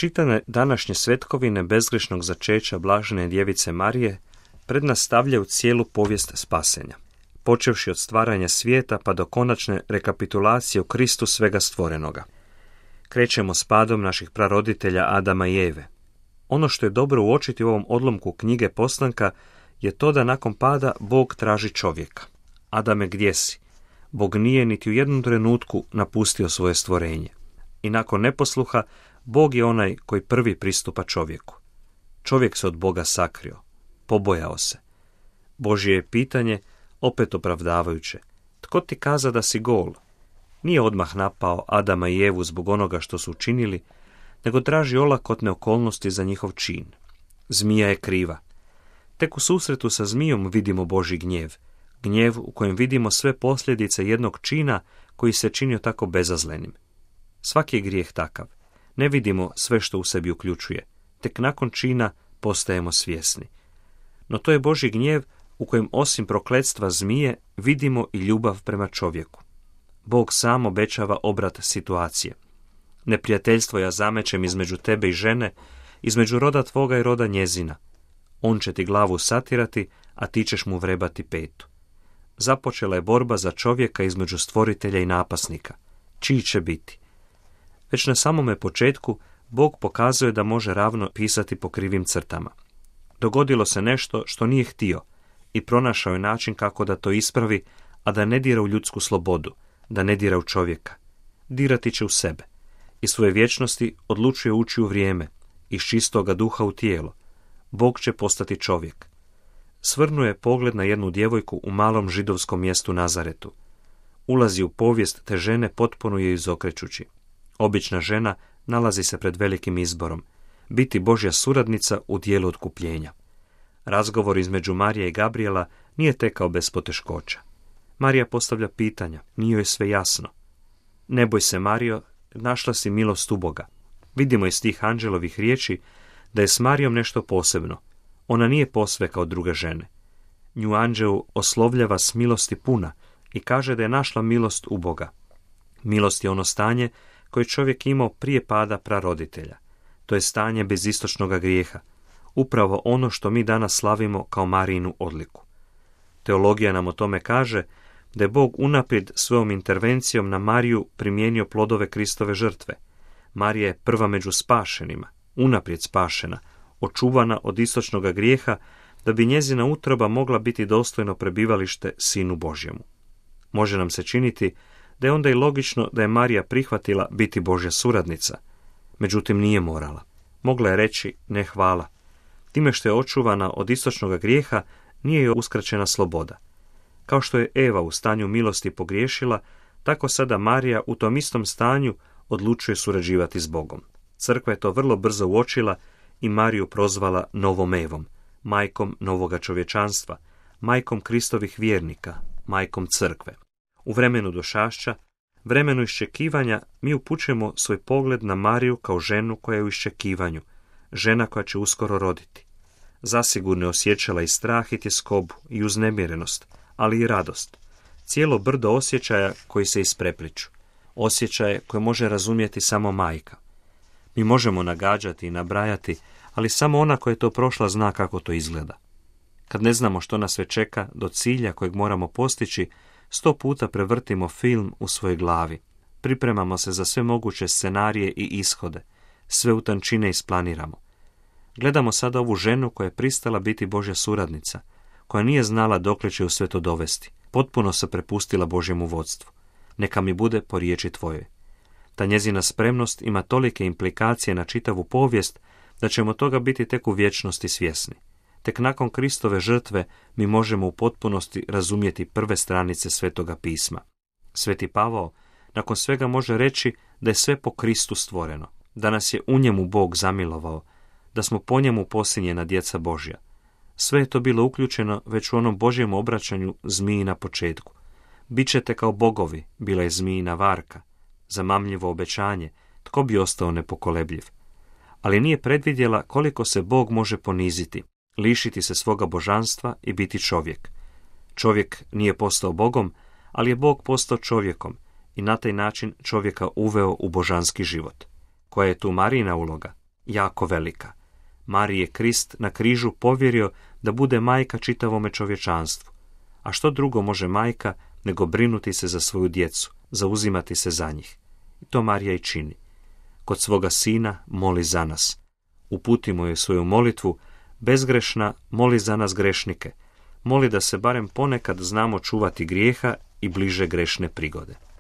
Čitane današnje svetkovine bezgrešnog začeća blažene djevice Marije pred nas stavljaju cijelu povijest spasenja, počevši od stvaranja svijeta pa do konačne rekapitulacije u Kristu svega stvorenoga. Krećemo s padom naših praroditelja Adama i Eve. Ono što je dobro uočiti u ovom odlomku knjige Postanka je to da nakon pada Bog traži čovjeka. Adame, gdje si? Bog nije niti u jednom trenutku napustio svoje stvorenje. I nakon neposluha, Bog je onaj koji prvi pristupa čovjeku. Čovjek se od Boga sakrio, pobojao se. Božje je pitanje, opet opravdavajuće. Tko ti kaza da si gol? Nije odmah napao Adama i Evu zbog onoga što su učinili, nego traži olakotne okolnosti za njihov čin. Zmija je kriva. Tek u susretu sa zmijom vidimo Božji gnjev. Gnjev u kojem vidimo sve posljedice jednog čina koji se činio tako bezazlenim. Svaki je grijeh takav. Ne vidimo sve što u sebi uključuje. Tek nakon čina postajemo svjesni. No to je Božji gnjev u kojem osim prokletstva zmije vidimo i ljubav prema čovjeku. Bog sam obećava obrat situacije. Neprijateljstvo ja zamećem između tebe i žene, između roda tvoga i roda njezina. On će ti glavu satirati, a ti ćeš mu vrebati petu. Započela je borba za čovjeka između stvoritelja i napasnika. Čiji će biti? Već na samome početku Bog pokazuje da može ravno pisati po krivim crtama. Dogodilo se nešto što nije htio i pronašao je način kako da to ispravi, a da ne dira u ljudsku slobodu, da ne dira u čovjeka. Dirati će u sebe. Iz svoje vječnosti odlučuje ući u vrijeme, iz čistoga duha u tijelo. Bog će postati čovjek. Svrnuje pogled na jednu djevojku u malom židovskom mjestu Nazaretu. Ulazi u povijest te žene potpuno je izokrećući. Obična žena nalazi se pred velikim izborom. Biti Božja suradnica u dijelu otkupljenja. Razgovor između Marije i Gabrijela nije tekao bez poteškoća. Marija postavlja pitanja, nije joj sve jasno. Ne boj se, Marijo, našla si milost u Boga. Vidimo iz tih anđelovih riječi da je s Marijom nešto posebno. Ona nije posve kao druge žene. Nju anđel oslovljava s milosti puna i kaže da je našla milost u Boga. Milost je ono stanje koje čovjek imao prije pada praroditelja. To je stanje bez istočnoga grijeha. Upravo ono što mi danas slavimo kao Marijinu odliku. Teologija nam o tome kaže da je Bog unaprijed svojom intervencijom na Mariju primijenio plodove Kristove žrtve. Marija je prva među spašenima, unaprijed spašena, očuvana od istočnoga grijeha, da bi njezina utroba mogla biti dostojno prebivalište Sinu Božjemu. Može nam se činiti da je onda i logično da je Marija prihvatila biti Božja suradnica. Međutim, nije morala. Mogla je reći ne hvala. Time što je očuvana od istočnoga grijeha, nije joj uskraćena sloboda. Kao što je Eva u stanju milosti pogriješila, tako sada Marija u tom istom stanju odlučuje surađivati s Bogom. Crkva je to vrlo brzo uočila i Mariju prozvala novom Evom, majkom novoga čovječanstva, majkom Kristovih vjernika, majkom crkve. U vremenu došašća, vremenu iščekivanja, mi upućujemo svoj pogled na Mariju kao ženu koja je u iščekivanju, žena koja će uskoro roditi. Zasigurno je osjećala i strah i tjeskobu i uznemirenost, ali i radost. Cijelo brdo osjećaja koji se isprepliču. Osjećaje koje može razumjeti samo majka. Mi možemo nagađati i nabrajati, ali samo ona koja je to prošla zna kako to izgleda. Kad ne znamo što nas sve čeka do cilja kojeg moramo postići, 100 puta prevrtimo film u svojoj glavi. Pripremamo se za sve moguće scenarije i ishode. Sve u tančine isplaniramo. Gledamo sada ovu ženu koja je pristala biti Božja suradnica, koja nije znala dokle će u sve to dovesti. Potpuno se prepustila Božjemu vodstvu. Neka mi bude po riječi tvojoj. Ta njezina spremnost ima tolike implikacije na čitavu povijest da ćemo toga biti tek u vječnosti svjesni. Tek nakon Kristove žrtve mi možemo u potpunosti razumjeti prve stranice Svetoga pisma. Sveti Pavao nakon svega može reći da je sve po Kristu stvoreno, da nas je u njemu Bog zamilovao, da smo po njemu posinjena djeca Božja. Sve je to bilo uključeno već u onom Božjem obraćanju zmiji na početku. Bićete kao bogovi, bila je zmijina varka. Zamamljivo obećanje, tko bi ostao nepokolebljiv. Ali nije predvidjela koliko se Bog može poniziti, lišiti se svoga božanstva i biti čovjek. Čovjek nije postao Bogom, ali je Bog postao čovjekom i na taj način čovjeka uveo u božanski život. Koja je tu Marijina uloga? jako velika. Mariji je Krist na križu povjerio da bude majka čitavome čovječanstvu. A što drugo može majka nego brinuti se za svoju djecu, zauzimati se za njih? I to Marija i čini. Kod svoga sina moli za nas. Uputimo joj svoju molitvu, bezgrešna moli za nas grešnike. Moli da se barem ponekad znamo čuvati grijeha i bliže grešne prigode.